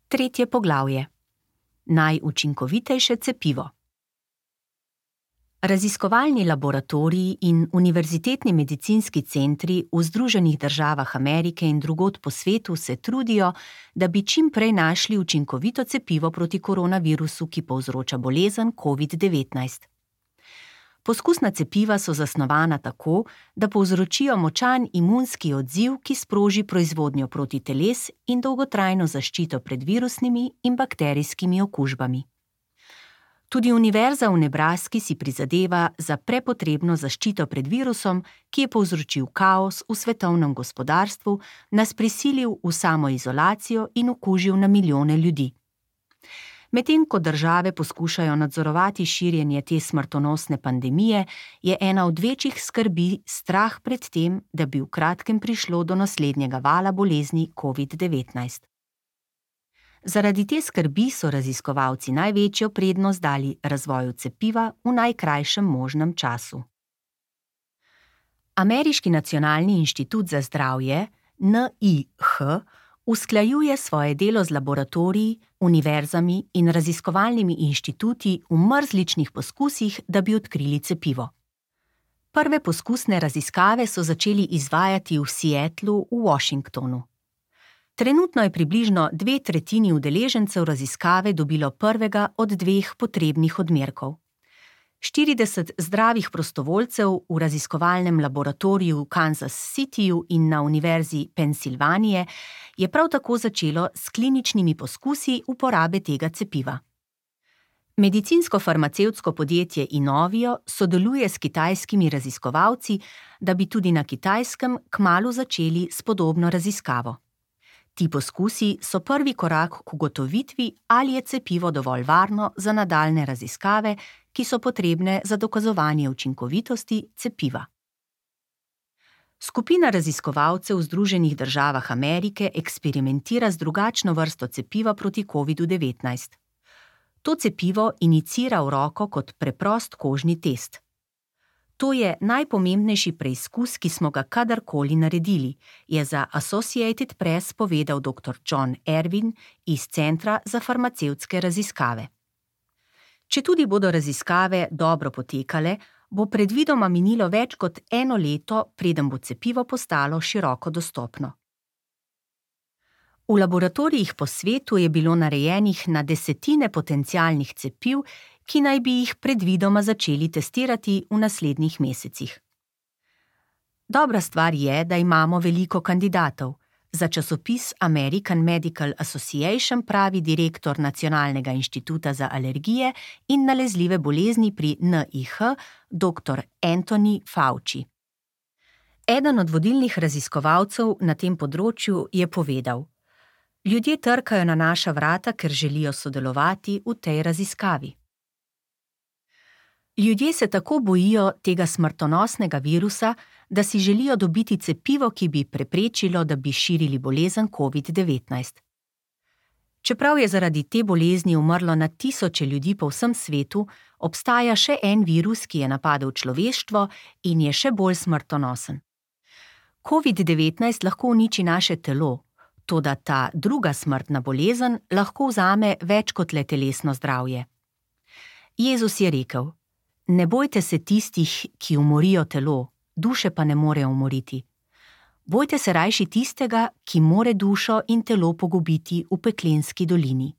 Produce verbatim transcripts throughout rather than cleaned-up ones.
Tretje poglavje. Najučinkovitejše cepivo. Raziskovalni laboratoriji in univerzitetni medicinski centri v Združenih državah Amerike in drugod po svetu se trudijo, da bi čim prej našli učinkovito cepivo proti koronavirusu, ki povzroča bolezen covid devetnajst. Poskusna cepiva so zasnovana tako, da povzročijo močan imunski odziv, ki sproži proizvodnjo protiteles in dolgotrajno zaščito pred virusnimi in bakterijskimi okužbami. Tudi Univerza v Nebraski si prizadeva za prepotrebno zaščito pred virusom, ki je povzročil kaos v svetovnem gospodarstvu, nas prisilil v samoizolacijo in okužil na milijone ljudi. Medtem ko države poskušajo nadzorovati širjenje te smrtonosne pandemije, je ena od večjih skrbi strah pred tem, da bi v kratkem prišlo do naslednjega vala bolezni covid devetnajst. Zaradi te skrbi so raziskovalci največjo prednost dali razvoju cepiva v najkrajšem možnem času. Ameriški nacionalni inštitut za zdravje, N I H, usklajuje svoje delo z laboratoriji, univerzami in raziskovalnimi inštituti v mrzličnih poskusih, da bi odkrili cepivo. Prve poskusne raziskave so začeli izvajati v Seattlu v Washingtonu. Trenutno je približno dve tretjini udeležencev raziskave dobilo prvega od dveh potrebnih odmerkov. štirideset zdravih prostovoljcev v raziskovalnem laboratoriju v Kansas Cityju in na Univerzi Pensilvanije je prav tako začelo s kliničnimi poskusi uporabe tega cepiva. Medicinsko-farmacevtsko podjetje Inovio sodeluje s kitajskimi raziskovalci, da bi tudi na Kitajskem kmalu začeli s podobno raziskavo. Ti poskusi so prvi korak k ugotovitvi, ali je cepivo dovolj varno za nadaljnje raziskave, ki so potrebne za dokazovanje učinkovitosti cepiva. Skupina raziskovalcev v Združenih državah Amerike eksperimentira z drugačno vrsto cepiva proti covidu devetnajst. To cepivo inicira v roko kot preprost kožni test. To je najpomembnejši preizkus, ki smo ga kadarkoli naredili, je za Associated Press povedal doktor John Ervin iz Centra za farmacevtske raziskave. Četudi bodo raziskave dobro potekale, bo predvidoma minilo več kot eno leto, preden bo cepivo postalo široko dostopno. V laboratorijih po svetu je bilo narejenih na desetine potencialnih cepiv, ki naj bi jih predvidoma začeli testirati v naslednjih mesecih. Dobra stvar je, da imamo veliko kandidatov. Za časopis American Medical Association pravi direktor Nacionalnega inštituta za alergije in nalezljive bolezni pri N I H, doktor Anthony Fauci. Eden od vodilnih raziskovalcev na tem področju je povedal: Ljudje trkajo na naša vrata, ker želijo sodelovati v tej raziskavi. Ljudje se tako bojijo tega smrtonosnega virusa, da si želijo dobiti cepivo, ki bi preprečilo, da bi širili bolezen covid devetnajst. Čeprav je zaradi te bolezni umrlo na tisoče ljudi po vsem svetu, obstaja še en virus, ki je napadel človeštvo in je še bolj smrtonosen. covid devetnajst lahko uniči naše telo, toda ta druga smrtna bolezen lahko vzame več kot le telesno zdravje. Jezus je rekel: Ne bojte se tistih, ki umorijo telo, duše pa ne morejo umoriti. Bojte se rajši tistega, ki more dušo in telo pogubiti v peklenski dolini.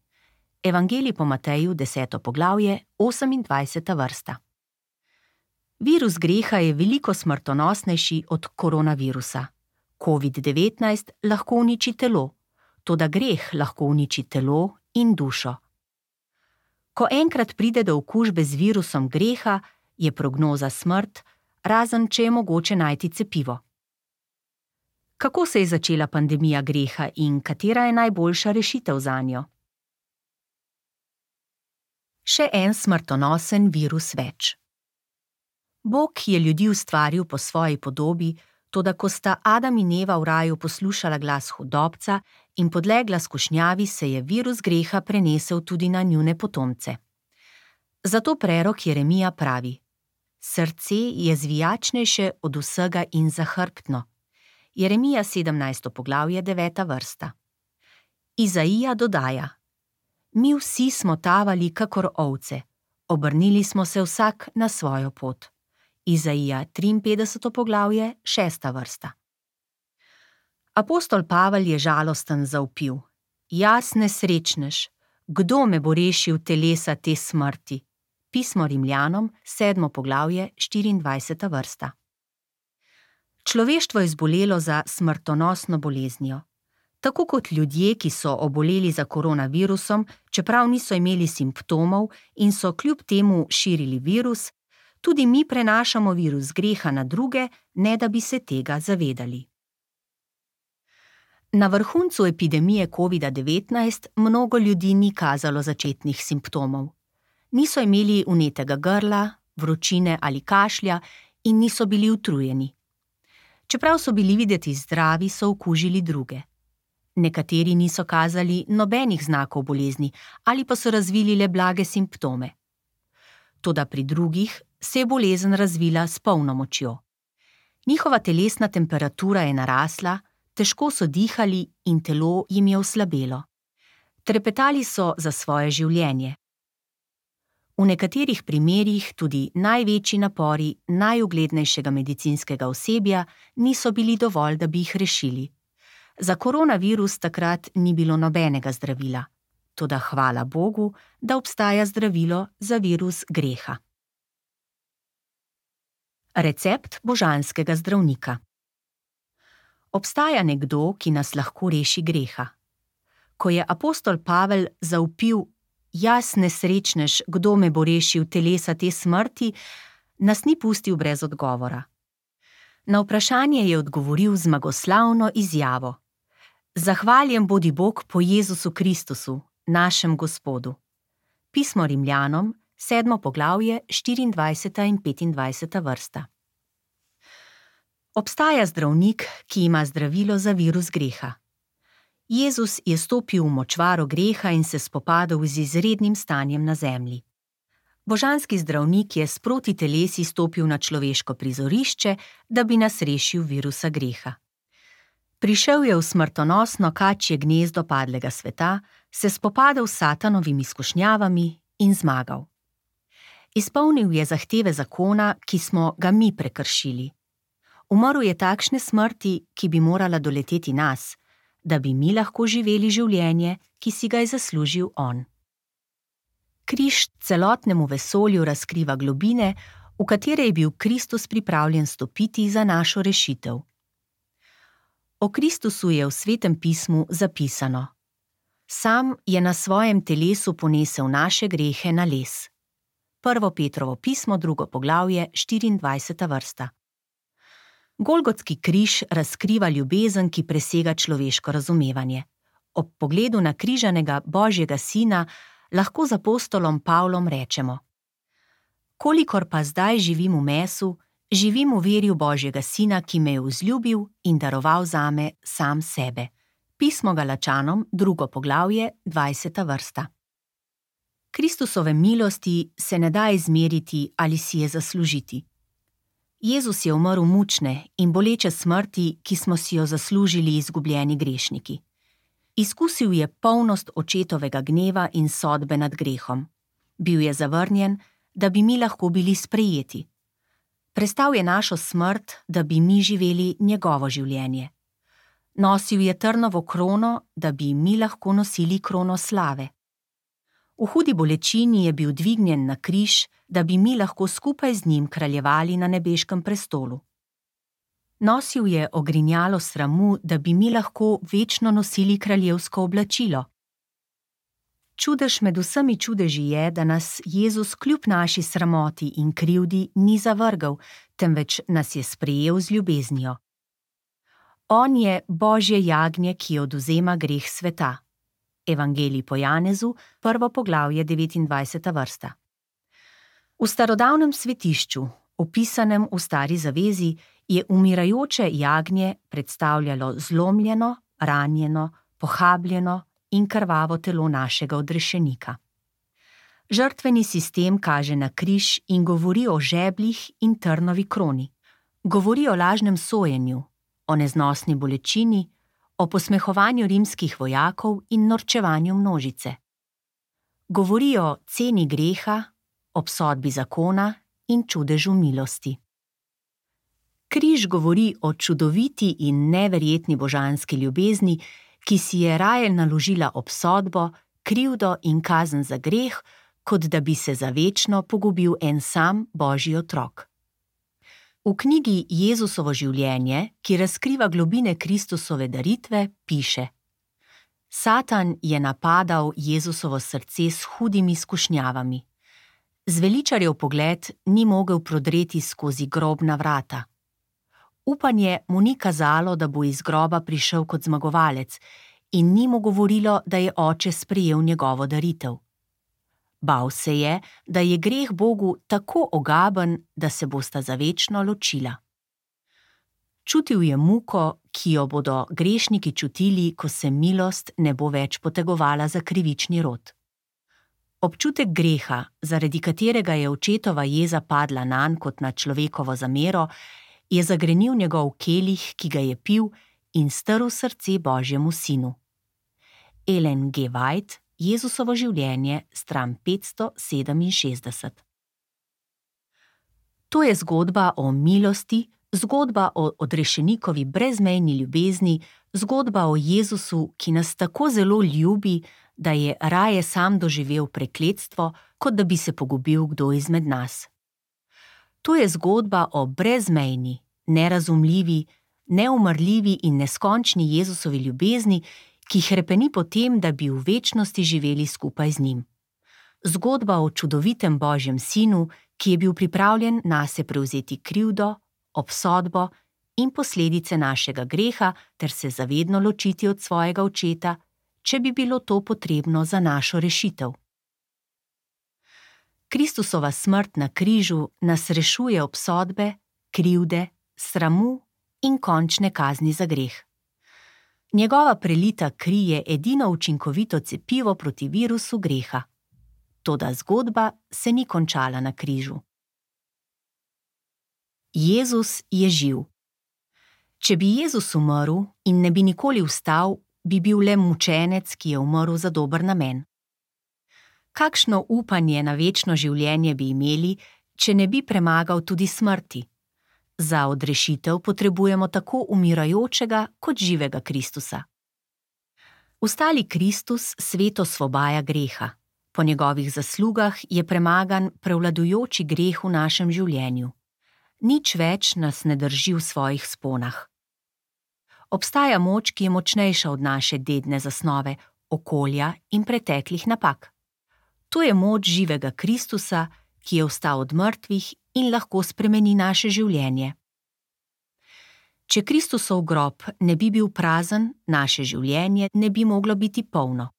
Evangelij po Mateju, deseto poglavje, osemindvajseta vrsta. Virus greha je veliko smrtonosnejši od koronavirusa. covid devetnajst lahko uniči telo, toda greh lahko uniči telo in dušo. Ko enkrat pride do okužbe z virusom greha, je prognoza smrt, razen če je mogoče najti cepivo. Kako se je začela pandemija greha in katera je najboljša rešitev zanjo? Še en smrtonosen virus več. Bog je ljudi ustvaril po svoji podobi, toda ko sta Adam in Eva v raju poslušala glas hudobca in podlegla skušnjavi, se je virus greha prenesel tudi na njune potomce. Zato prerok Jeremija pravi: Srce je zvijačnejše od vsega in zahrbtno. Jeremija sedemnajsto poglavje, deveta vrsta. Izaija dodaja: Mi vsi smo tavali kakor ovce, obrnili smo se vsak na svojo pot. Izaija triinpetdeseto poglavje, šesta vrsta. Apostol Pavel je žalosten zavpil: Jaz nesrečnež, kdo me bo rešil telesa te smrti? Pismo Rimljanom, sedmo poglavje, štiriindvajseta vrsta. Človeštvo je zbolelo za smrtonosno boleznijo. Tako kot ljudje, ki so oboleli za koronavirusom, čeprav niso imeli simptomov in so kljub temu širili virus, tudi mi prenašamo virus greha na druge, ne da bi se tega zavedali. Na vrhuncu epidemije covida devetnajst mnogo ljudi ni kazalo začetnih simptomov. Niso imeli vnetega grla, vročine ali kašlja in niso bili utrujeni. Čeprav so bili videti zdravi, so okužili druge. Nekateri niso kazali nobenih znakov bolezni ali pa so razvili le blage simptome. Toda pri drugih se je bolezen razvila s polno močjo. Njihova telesna temperatura je narasla, težko so dihali in telo jim je oslabelo. Trepetali so za svoje življenje. V nekaterih primerih tudi največji napori najuglednejšega medicinskega osebja niso bili dovolj, da bi jih rešili. Za koronavirus takrat ni bilo nobenega zdravila. Toda hvala Bogu, da obstaja zdravilo za virus greha. Recept božanskega zdravnika. Obstaja nekdo, ki nas lahko reši greha. Ko je apostol Pavel zavpil: Jaz nesrečnež, kdo me bo rešil telesa te smrti, nas ni pustil brez odgovora. Na vprašanje je odgovoril zmagoslavno izjavo: Zahvaljen bodi Bog po Jezusu Kristusu, našem Gospodu. Pismo Rimljanom, sedmo poglavje, štiriindvajseta in petindvajseta vrsta. Obstaja zdravnik, ki ima zdravilo za virus greha. Jezus je stopil v močvaro greha in se spopadel z izrednim stanjem na zemlji. Božanski zdravnik je sproti telesi stopil na človeško prizorišče, da bi nas rešil virusa greha. Prišel je v smrtonosno kačje gnezdo padlega sveta, se spopadel s satanovimi izkušnjavami in zmagal. Izpolnil je zahteve zakona, ki smo ga mi prekršili. Umrl je takšne smrti, ki bi morala doleteti nas, da bi mi lahko živeli življenje, ki si ga je zaslužil on. Križ celotnemu vesolju razkriva globine, v katere je bil Kristus pripravljen stopiti za našo rešitev. O Kristusu je v Svetem pismu zapisano: Sam je na svojem telesu ponesel naše grehe na les. Prvo Petrovo pismo, drugo poglavje, štiriindvajseta vrsta. Golgotski križ razkriva ljubezen, ki presega človeško razumevanje. Ob pogledu na križanega Božjega sina lahko z apostolom Pavlom rečemo: Kolikor pa zdaj živim v mesu, živim v veri v Božjega sina, ki me je vzljubil in daroval zame sam sebe. Pismo Galačanom, drugo poglavje, dvajseta vrsta. Kristusove milosti se ne da izmeriti ali si je zaslužiti. Jezus je umrl mučne in boleče smrti, ki smo si jo zaslužili izgubljeni grešniki. Izkusil je polnost očetovega gneva in sodbe nad grehom. Bil je zavrnjen, da bi mi lahko bili sprejeti. Prestal je našo smrt, da bi mi živeli njegovo življenje. Nosil je trnovo krono, da bi mi lahko nosili krono slave. V hudi bolečini je bil dvignjen na križ, da bi mi lahko skupaj z njim kraljevali na nebeškem prestolu. Nosil je ogrinjalo sramu, da bi mi lahko večno nosili kraljevsko oblačilo. Čudež med vsemi čudeži je, da nas Jezus kljub naši sramoti in krivdi ni zavrgel, temveč nas je sprejel z ljubeznijo. On je Božje jagnje, ki odvzema greh sveta. Evangelij po Janezu, prvo poglavje, devetindvajseta vrsta. V starodavnem svetišču, opisanem v Stari zavezi, je umirajoče jagnje predstavljalo zlomljeno, ranjeno, pohabljeno in krvavo telo našega odrešenika. Žrtveni sistem kaže na križ in govori o žebljih in trnovi kroni. Govori o lažnem sojenju, o neznosni bolečini, o posmehovanju rimskih vojakov in norčevanju množice. Govori o ceni greha, obsodbi zakona in čudežu milosti. Križ govori o čudoviti in neverjetni božanski ljubezni, ki si je raje naložila obsodbo, krivdo in kazen za greh, kot da bi se za večno pogubil en sam Božji otrok. V knjigi Jezusovo življenje, ki razkriva globine Kristusove daritve, piše: Satan je napadal Jezusovo srce s hudimi skušnjavami. Zveličarjev pogled ni mogel prodreti skozi grobna vrata. Upanje mu ni kazalo, da bo iz groba prišel kot zmagovalec, in ni mu govorilo, da je oče sprejel njegovo daritev. Bal se je, da je greh Bogu tako ogaben, da se bosta za večno ločila. Čutil je muko, ki jo bodo grešniki čutili, ko se milost ne bo več potegovala za krivični rod. Občutek greha, zaradi katerega je očetova jeza padla nanj kot na človekovo zamero, je zagrenil njegov kelih, ki ga je pil, in strl srce Božjemu sinu. Ellen G. White, Jezusovo življenje, stran petsto sedeminšestdeset. To je zgodba o milosti, zgodba o odrešenikovi brezmejni ljubezni, zgodba o Jezusu, ki nas tako zelo ljubi, da je raje sam doživel prekletstvo, kot da bi se pogubil kdo izmed nas. To je zgodba o brezmejni, nerazumljivi, neumrljivi in neskončni Jezusovi ljubezni, ki hrepeni po tem, da bi v večnosti živeli skupaj z njim. Zgodba o čudovitem Božjem sinu, ki je bil pripravljen nase prevzeti krivdo, obsodbo in posledice našega greha ter se zavedno ločiti od svojega očeta, če bi bilo to potrebno za našo rešitev. Kristusova smrt na križu nas rešuje obsodbe, krivde, sramu in končne kazni za greh. Njegova prelita kri je edino učinkovito cepivo proti virusu greha. Toda zgodba se ni končala na križu. Jezus je živ. Če bi Jezus umrl in ne bi nikoli vstal, bi bil le mučenec, ki je umrl za dober namen. Kakšno upanje na večno življenje bi imeli, če ne bi premagal tudi smrti? Za odrešitev potrebujemo tako umirajočega kot živega Kristusa. Vstali Kristus svet osvobaja greha. Po njegovih zaslugah je premagan prevladujoči greh v našem življenju. Nič več nas ne drži v svojih sponah. Obstaja moč, ki je močnejša od naše dedne zasnove, okolja in preteklih napak. To je moč živega Kristusa, ki je vstal od mrtvih in lahko spremeni naše življenje. Če Kristusov grob ne bi bil prazen, naše življenje ne bi moglo biti polno.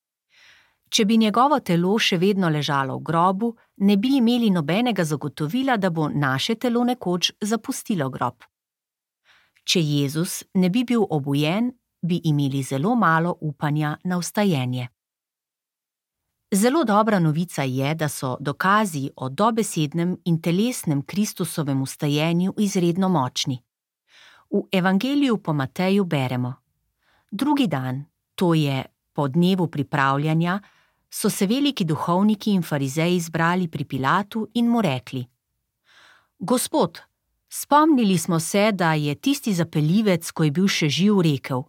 Če bi njegovo telo še vedno ležalo v grobu, ne bi imeli nobenega zagotovila, da bo naše telo nekoč zapustilo grob. Če Jezus ne bi bil obujen, bi imeli zelo malo upanja na vstajenje. Zelo dobra novica je, da so dokazi o dobesednem in telesnem Kristusovem vstajenju izredno močni. V Evangeliju po Mateju beremo: Drugi dan, to je po dnevu pripravljanja, so se veliki duhovniki in farizeji zbrali pri Pilatu in mu rekli: Gospod, spomnili smo se, da je tisti zapeljivec, ko je bil še živ, rekel: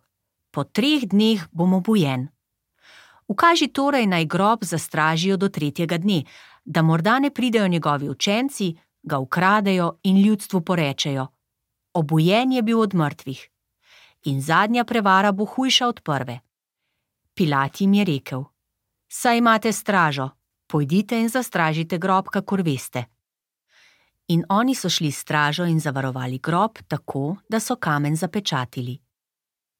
Po treh dneh bom obujen. Ukaži torej, naj grob zastražijo do tretjega dne, da morda ne pridejo njegovi učenci, ga ukradejo in ljudstvu porečejo: Obujen je bil od mrtvih. In zadnja prevara bo hujša od prve. Pilat jim je rekel: Saj imate stražo, pojdite in zastražite grob, kakor veste. In oni so šli s stražo in zavarovali grob tako, da so kamen zapečatili.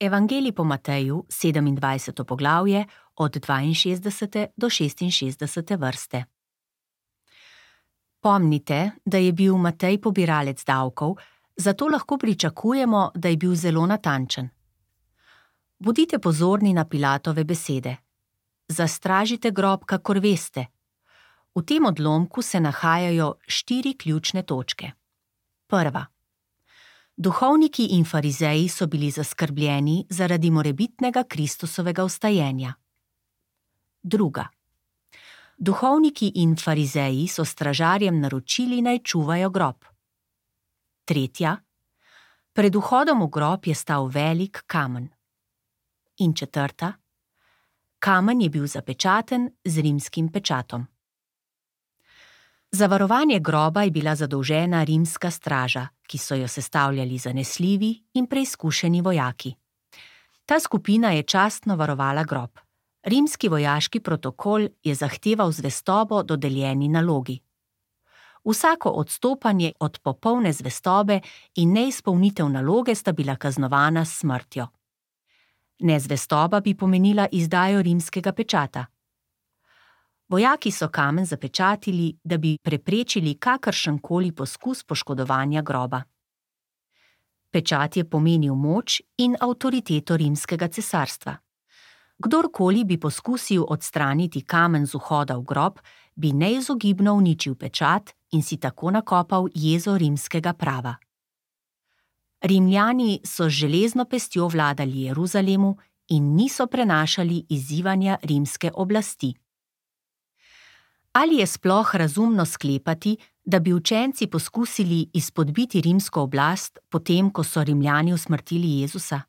Evangelij po Mateju, sedemindvajseto poglavje, od dvainšestdesete do šestinšestdesete vrste. Pomnite, da je bil Matej pobiralec davkov, zato lahko pričakujemo, da je bil zelo natančen. Bodite pozorni na Pilatove besede. Zastražite grob, kakor veste. V tem odlomku se nahajajo štiri ključne točke. Prva. Duhovniki in farizeji so bili zaskrbljeni zaradi morebitnega Kristusovega vstajenja. Druga. Duhovniki in farizeji so stražarjem naročili, naj čuvajo grob. Tretja. Pred vhodom v grob je stal velik kamen. In četrta. Kamen je bil zapečaten z rimskim pečatom. Za varovanje groba je bila zadolžena rimska straža, ki so jo sestavljali zanesljivi in preizkušeni vojaki. Ta skupina je častno varovala grob. Rimski vojaški protokol je zahteval zvestobo dodeljeni nalogi. Vsako odstopanje od popolne zvestobe in neizpolnitev naloge sta bila kaznovana s smrtjo. Nezvestoba bi pomenila izdajo rimskega pečata. Vojaki so kamen zapečatili, da bi preprečili kakršenkoli poskus poškodovanja groba. Pečat je pomenil moč in avtoriteto rimskega cesarstva. Kdorkoli bi poskusil odstraniti kamen z vhoda v grob, bi neizogibno uničil pečat in si tako nakopal jezo rimskega prava. Rimljani so z železno pestjo vladali Jeruzalemu in niso prenašali izzivanja rimske oblasti. Ali je sploh razumno sklepati, da bi učenci poskusili izpodbiti rimsko oblast, potem ko so Rimljani usmrtili Jezusa?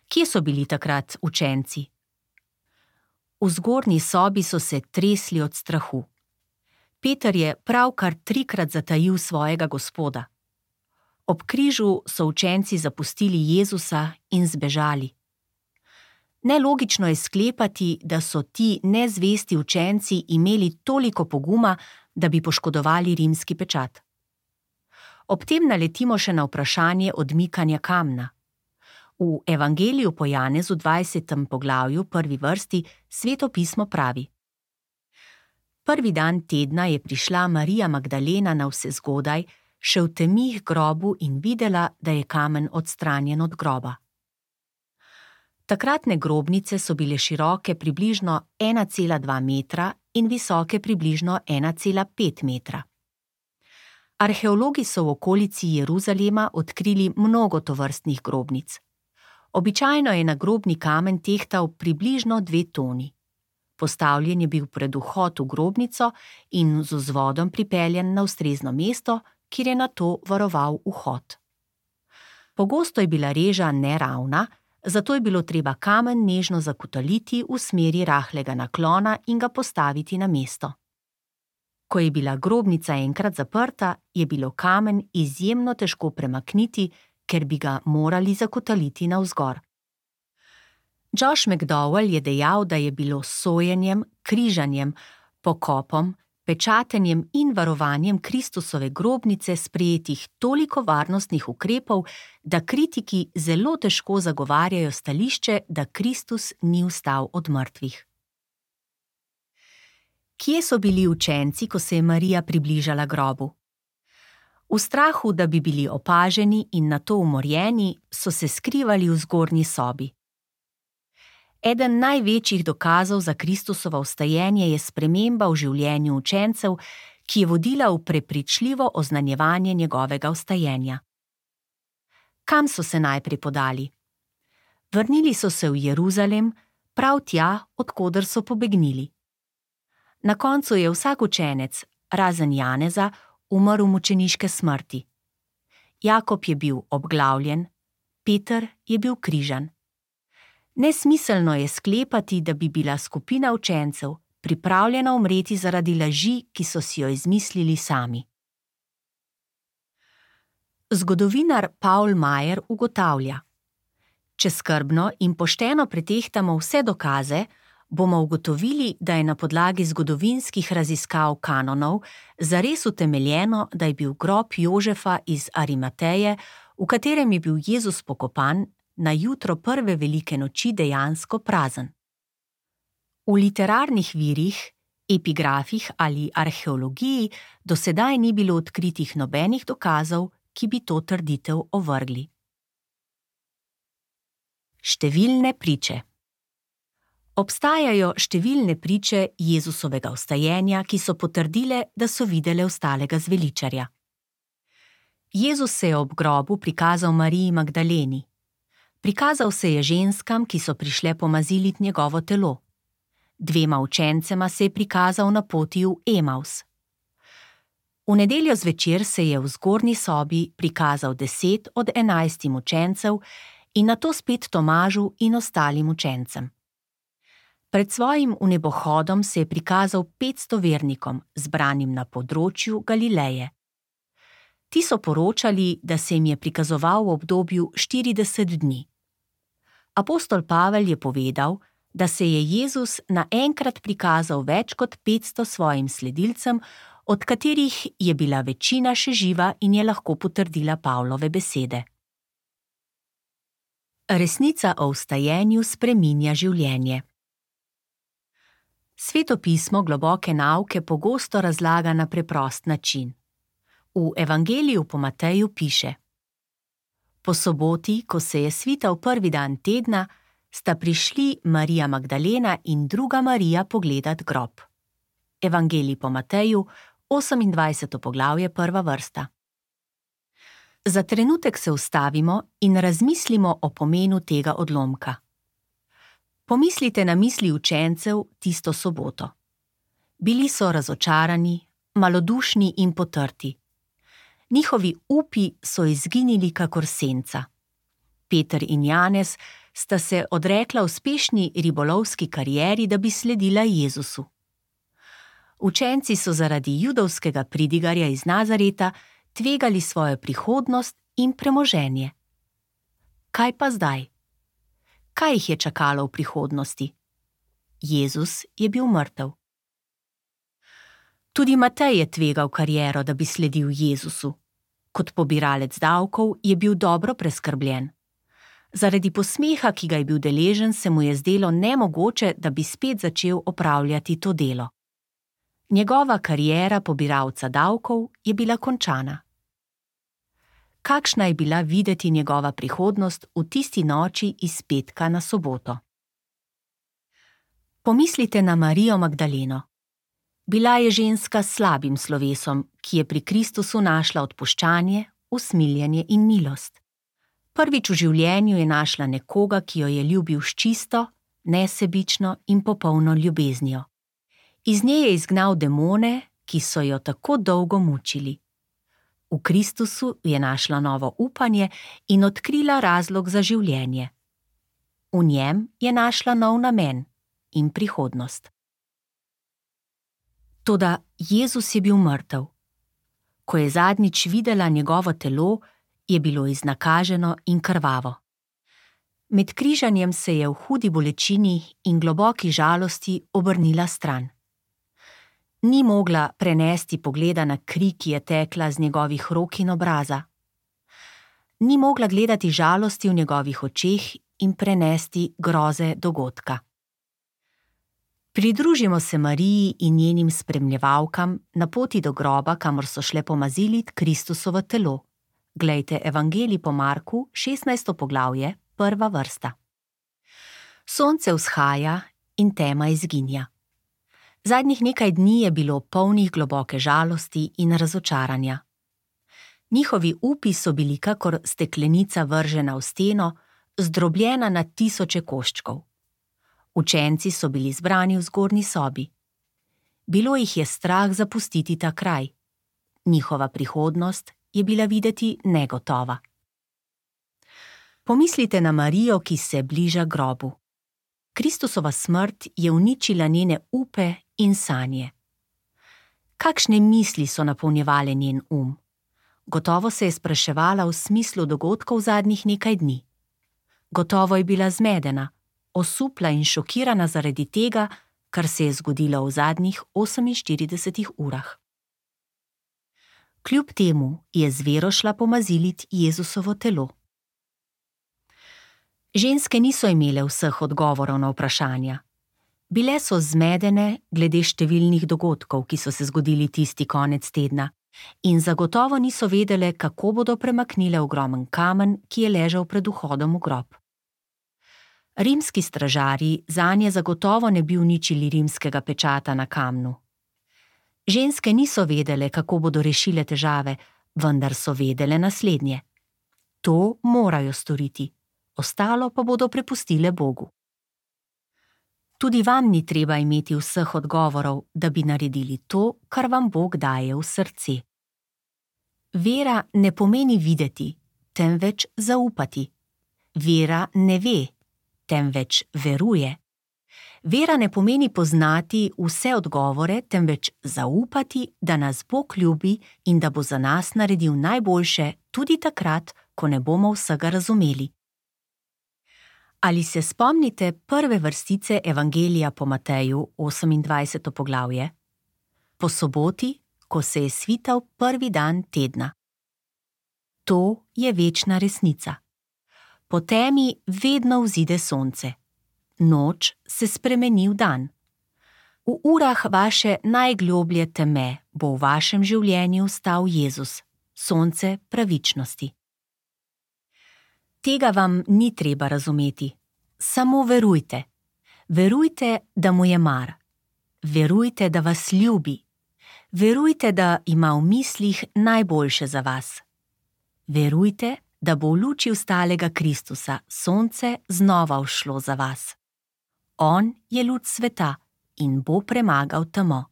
Kje so bili takrat učenci? V zgornji sobi so se tresli od strahu. Peter je pravkar trikrat zatajil svojega Gospoda. Ob križu so učenci zapustili Jezusa in zbežali. Nelogično je sklepati, da so ti nezvesti učenci imeli toliko poguma, da bi poškodovali rimski pečat. Ob tem naletimo še na vprašanje odmikanja kamna. V Evangeliju po Janezu dvajsetem poglavju, prvi vrsti, Sveto pismo pravi: Prvi dan tedna je prišla Marija Magdalena navsezgodaj, še v temi k grobu in videla, da je kamen odstranjen od groba. Takratne grobnice so bile široke približno ena cela dva metra in visoke približno ena cela pet metra. Arheologi so v okolici Jeruzalema odkrili mnogo tovrstnih grobnic. Običajno je nagrobni kamen tehtal približno dve toni. Postavljen je bil pred vhod v grobnico in z vzvodom pripeljan na ustrezno mesto, kjer je nato varoval vhod. Pogosto je bila reža neravna, zato je bilo treba kamen nežno zakotaliti v smeri rahlega naklona in ga postaviti na mesto. Ko je bila grobnica enkrat zaprta, je bilo kamen izjemno težko premakniti, ker bi ga morali zakotaliti navzgor. Josh McDowell je dejal, da je bilo s sojenjem, križanjem, pokopom, pečatenjem in varovanjem Kristusove grobnice sprejetih toliko varnostnih ukrepov, da kritiki zelo težko zagovarjajo stališče, da Kristus ni vstal od mrtvih. Kje so bili učenci, ko se je Marija približala grobu? V strahu, da bi bili opaženi in nato umorjeni, so se skrivali v zgornji sobi. Eden največjih dokazov za Kristusovo vstajenje je sprememba v življenju učencev, ki je vodila v prepričljivo oznanjevanje njegovega vstajenja. Kam so se najprej podali? Vrnili so se v Jeruzalem, prav tja, od koder so pobegnili. Na koncu je vsak učenec, razen Janeza, umrl mučeniške smrti. Jakob je bil obglavljen, Peter je bil križan. Nesmiselno je sklepati, da bi bila skupina učencev pripravljena umreti zaradi laži, ki so si jo izmislili sami. Zgodovinar Paul Mayer ugotavlja: Če skrbno in pošteno pretehtamo vse dokaze, bomo ugotovili, da je na podlagi zgodovinskih raziskav kanonov zares utemeljeno, da je bil grob Jožefa iz Arimateje, v katerem je bil Jezus pokopan, na jutro prve velike noči dejansko prazen. V literarnih virih, epigrafih ali arheologiji do sedaj ni bilo odkritih nobenih dokazov, ki bi to trditev ovrgli. Številne priče. Obstajajo številne priče Jezusovega vstajenja, ki so potrdile, da so videle vstalega zveličarja. Jezus se je ob grobu prikazal Mariji Magdaleni. Prikazal se je ženskam, ki so prišle pomaziliti njegovo telo. Dvema učencema se je prikazal na poti v Emaus. V nedeljo zvečer se je v zgornji sobi prikazal deset od enajstim učencev in nato spet Tomažu in ostalim učencem. Pred svojim vnebohodom se je prikazal petsto vernikom, zbranim na področju Galileje. Ti so poročali, da se jim je prikazoval v obdobju štirideset dni. Apostol Pavel je povedal, da se je Jezus naenkrat prikazal več kot petsto svojim sledilcem, od katerih je bila večina še živa in je lahko potrdila Pavlove besede. Resnica o vstajenju spreminja življenje. Sveto pismo globoke nauke pogosto razlaga na preprost način. V Evangeliju po Mateju piše: Po soboti, ko se je svital prvi dan tedna, sta prišli Marija Magdalena in druga Marija pogledat grob. Evangelij po Mateju, osemindvajseto poglavje, prva vrsta. Za trenutek se ustavimo in razmislimo o pomenu tega odlomka. Pomislite na misli učencev tisto soboto. Bili so razočarani, malodušni in potrti. Njihovi upi so izginili kakor senca. Peter in Janez sta se odrekla uspešni ribolovski karieri, da bi sledila Jezusu. Učenci so zaradi judovskega pridigarja iz Nazareta tvegali svojo prihodnost in premoženje. Kaj pa zdaj? Kaj jih je čakalo v prihodnosti? Jezus je bil mrtev. Tudi Matej je tvegal kariero, da bi sledil Jezusu. Kot pobiralec davkov je bil dobro preskrbljen. Zaradi posmeha, ki ga je bil deležen, se mu je zdelo nemogoče, da bi spet začel opravljati to delo. Njegova kariera pobiralca davkov je bila končana. Kakšna je bila videti njegova prihodnost v tisti noči iz petka na soboto? Pomislite na Marijo Magdaleno. Bila je ženska s slabim slovesom, ki je pri Kristusu našla odpuščanje, usmiljenje in milost. Prvič v življenju je našla nekoga, ki jo je ljubil s čisto, nesebično in popolno ljubeznijo. Iz nje je izgnal demone, ki so jo tako dolgo mučili. V Kristusu je našla novo upanje in odkrila razlog za življenje. V njem je našla nov namen in prihodnost. Toda Jezus je bil mrtev. Ko je zadnjič videla njegovo telo, je bilo iznakaženo in krvavo. Med križanjem se je v hudi bolečini in globoki žalosti obrnila stran. Ni mogla prenesti pogleda na kri, ki je tekla z njegovih rok in obraza. Ni mogla gledati žalosti v njegovih očeh in prenesti groze dogodka. Pridružimo se Mariji in njenim spremljevalkam na poti do groba, kamor so šle pomaziliti Kristusovo telo. Glejte Evangelij po Marku, šestnajsto poglavje, prva vrsta. Sonce vzhaja in tema izginja. Zadnjih nekaj dni je bilo polnih globoke žalosti in razočaranja. Njihovi upi so bili kakor steklenica vržena v steno, zdrobljena na tisoče koščkov. Učenci so bili zbrani v zgornji sobi. Bilo jih je strah zapustiti ta kraj. Njihova prihodnost je bila videti negotova. Pomislite na Marijo, ki se bliža grobu. Kristusova smrt je uničila njene upe in sanje. Kakšne misli so napolnjevale njen um? Gotovo se je spraševala v smislu dogodkov zadnjih nekaj dni. Gotovo je bila zmedena, osupla in šokirana zaradi tega, kar se je zgodilo v zadnjih oseminštiridesetih urah. Kljub temu je z vero šla pomazilit Jezusovo telo. Ženske niso imele vseh odgovorov na vprašanja. Bile so zmedene glede številnih dogodkov, ki so se zgodili tisti konec tedna, in zagotovo niso vedele, kako bodo premaknile ogromen kamen, ki je ležal pred vhodom v grob. Rimski stražarji zanje zagotovo ne bi uničili rimskega pečata na kamnu. Ženske niso vedele, kako bodo rešile težave, vendar so vedele naslednje. To morajo storiti, ostalo pa bodo prepustile Bogu. Tudi vam ni treba imeti vseh odgovorov, da bi naredili to, kar vam Bog daje v srce. Vera ne pomeni videti, temveč zaupati. Vera ne ve, temveč veruje. Vera ne pomeni poznati vse odgovore, temveč zaupati, da nas Bog ljubi in da bo za nas naredil najboljše tudi takrat, ko ne bomo vsega razumeli. Ali se spomnite prve vrstice Evangelija po Mateju, osemindvajseto poglavje? Po soboti, ko se je svital prvi dan tedna. To je večna resnica. Po temi vedno vzide sonce. Noč se spremeni v dan. V urah vaše najgloblje teme bo v vašem življenju stal Jezus, sonce pravičnosti. Tega vam ni treba razumeti. Samo verujte. Verujte, da mu je mar. Verujte, da vas ljubi. Verujte, da ima v mislih najboljše za vas. Verujte, da bo v luči vstalega Kristusa sonce znova vzšlo za vas. On je luč sveta in bo premagal temo.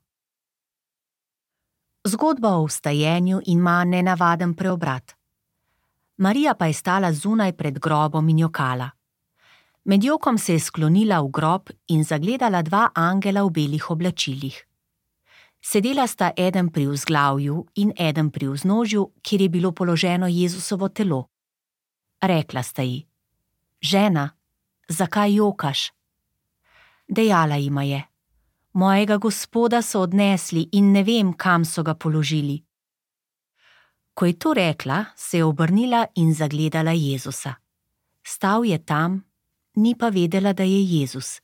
Zgodba o vstajenju ima nenavaden preobrat. Marija pa je stala zunaj pred grobom in jokala. Med jokom se je sklonila v grob in zagledala dva angela v belih oblačilih. Sedela sta eden pri vzglavju in eden pri vznožju, kjer je bilo položeno Jezusovo telo. Rekla sta ji: Žena, zakaj jokaš? Dejala jima je: Mojega Gospoda so odnesli in ne vem, kam so ga položili. Ko je to rekla, se je obrnila in zagledala Jezusa. Stal je tam, ni pa vedela, da je Jezus.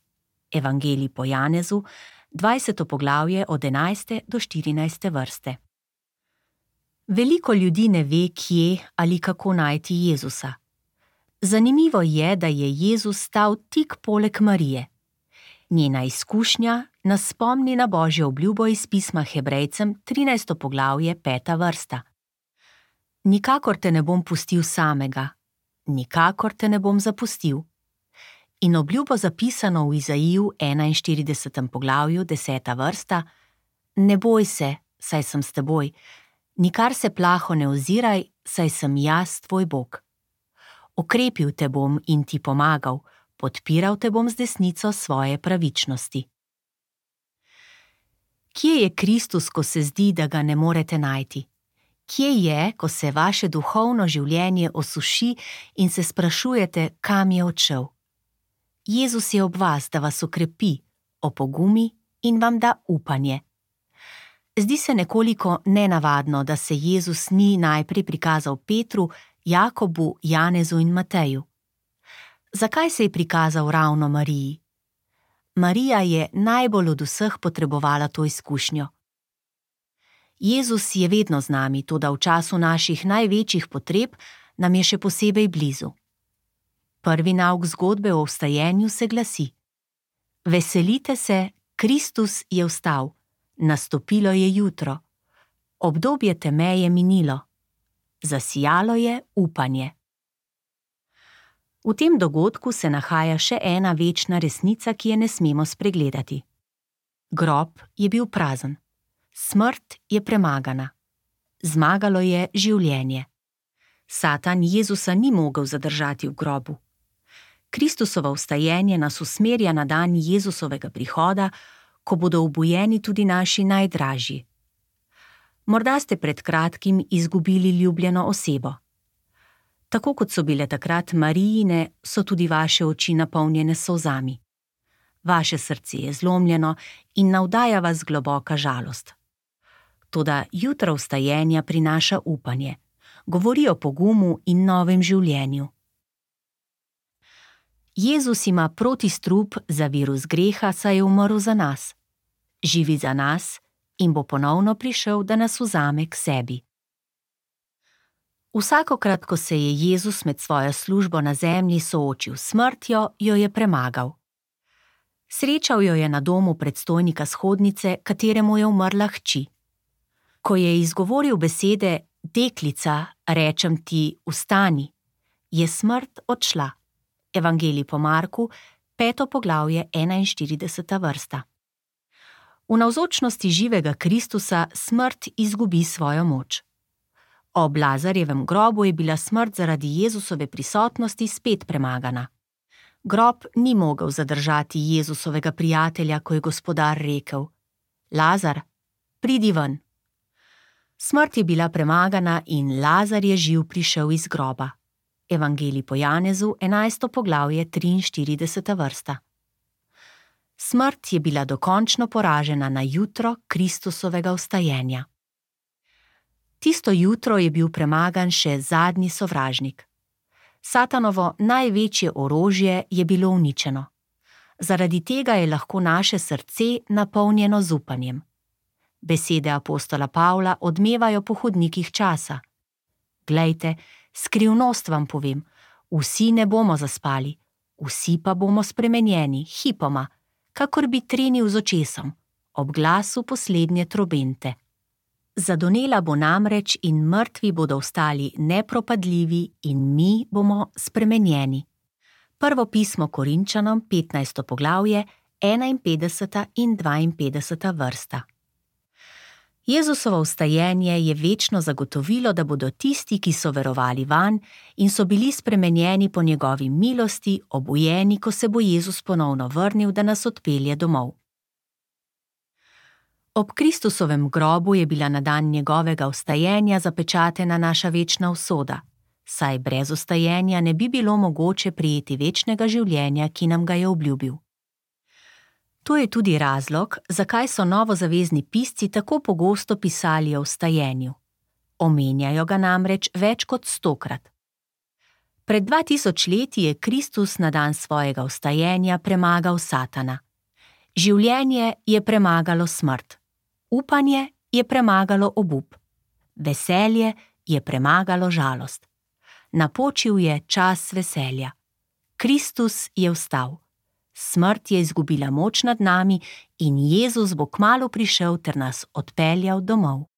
Evangelij po Janezu, dvajseto poglavje od enajste do štirinajste vrste. Veliko ljudi ne ve, kje ali kako najti Jezusa. Zanimivo je, da je Jezus stal tik poleg Marije. Njena izkušnja nas spomni na Božjo obljubo iz pisma Hebrejcem, trinajsto poglavje, peta vrsta. Nikakor te ne bom pustil samega, nikakor te ne bom zapustil. In obljubo zapisano v Izaiju enainštiridesetem poglavju, deseta vrsta: Ne boj se, saj sem s teboj, nikar se plaho ne oziraj, saj sem jaz tvoj Bog. Okrepil te bom in ti pomagal, podpiral te bom z desnico svoje pravičnosti. Kje je Kristus, ko se zdi, da ga ne morete najti? Kje je, ko se vaše duhovno življenje osuši in se sprašujete, kam je odšel? Jezus je ob vas, da vas okrepi, opogumi in vam da upanje. Zdi se nekoliko nenavadno, da se Jezus ni najprej prikazal Petru, Jakobu, Janezu in Mateju. Zakaj se je prikazal ravno Mariji? Marija je najbolj od vseh potrebovala to izkušnjo. Jezus je vedno z nami, toda v času naših največjih potreb nam je še posebej blizu. Prvi nauk zgodbe o vstajenju se glasi: Veselite se, Kristus je vstal, nastopilo je jutro, obdobje teme je minilo, zasijalo je upanje. V tem dogodku se nahaja še ena večna resnica, ki je ne smemo spregledati. Grob je bil prazen, smrt je premagana, zmagalo je življenje. Satan Jezusa ni mogel zadržati v grobu. Kristusovo vstajenje nas usmerja na dan Jezusovega prihoda, ko bodo obujeni tudi naši najdražji. Morda ste pred kratkim izgubili ljubljeno osebo. Tako kot so bile takrat Marijine, so tudi vaše oči napolnjene s solzami. Vaše srce je zlomljeno in navdaja vas globoka žalost. Toda jutro vstajenja prinaša upanje, govori o pogumu in novem življenju. Jezus ima protistrup za virus greha, saj je umrl za nas. Živi za nas in bo ponovno prišel, da nas vzame k sebi. Vsakokrat, ko se je Jezus med svojo službo na zemlji soočil s smrtjo, jo je premagal. Srečal jo je na domu predstojnika shodnice, kateremu je umrla hči. Ko je izgovoril besede: Deklica, rečem ti, vstani, je smrt odšla. Evangelij po Marku, peto poglavje, enainštirideseta vrsta. V navzočnosti živega Kristusa smrt izgubi svojo moč. Ob Lazarjevem grobu je bila smrt zaradi Jezusove prisotnosti spet premagana. Grob ni mogel zadržati Jezusovega prijatelja, ko je Gospodar rekel: Lazar, pridi ven. Smrt je bila premagana in Lazar je živ prišel iz groba. Evangelij po Janezu, enajsto poglavje, triinštirideseta vrsta. Smrt je bila dokončno poražena na jutro Kristusovega vstajenja. Tisto jutro je bil premagan še zadnji sovražnik. Satanovo največje orožje je bilo uničeno. Zaradi tega je lahko naše srce napolnjeno z upanjem. Besede apostola Pavla odmevajo po hodnikih časa. Glejte, skrivnost vam povem, vsi ne bomo zaspali, vsi pa bomo spremenjeni, hipoma, kakor bi trenil z očesom, ob glasu poslednje trobente. Zadonela bo namreč in mrtvi bodo ostali nepropadljivi in mi bomo spremenjeni. Prvo pismo Korinčanom, petnajsto poglavje, enainpetdeseta in dvainpetdeseta vrsta. Jezusovo vstajenje je večno zagotovilo, da bodo tisti, ki so verovali vanj in so bili spremenjeni po njegovi milosti, obujeni, ko se bo Jezus ponovno vrnil, da nas odpelje domov. Ob Kristusovem grobu je bila na dan njegovega vstajenja zapečatena naša večna usoda, saj brez vstajenja ne bi bilo mogoče prejeti večnega življenja, ki nam ga je obljubil. To je tudi razlog, zakaj so novozavezni pisci tako pogosto pisali o vstajenju. Omenjajo ga namreč več kot stokrat. Pred dva tisoč leti je Kristus na dan svojega vstajenja premagal Satana. Življenje je premagalo smrt. Upanje je premagalo obup. Veselje je premagalo žalost. Napočil je čas veselja. Kristus je vstal. Smrt je izgubila moč nad nami in Jezus bo kmalu prišel ter nas odpeljal domov.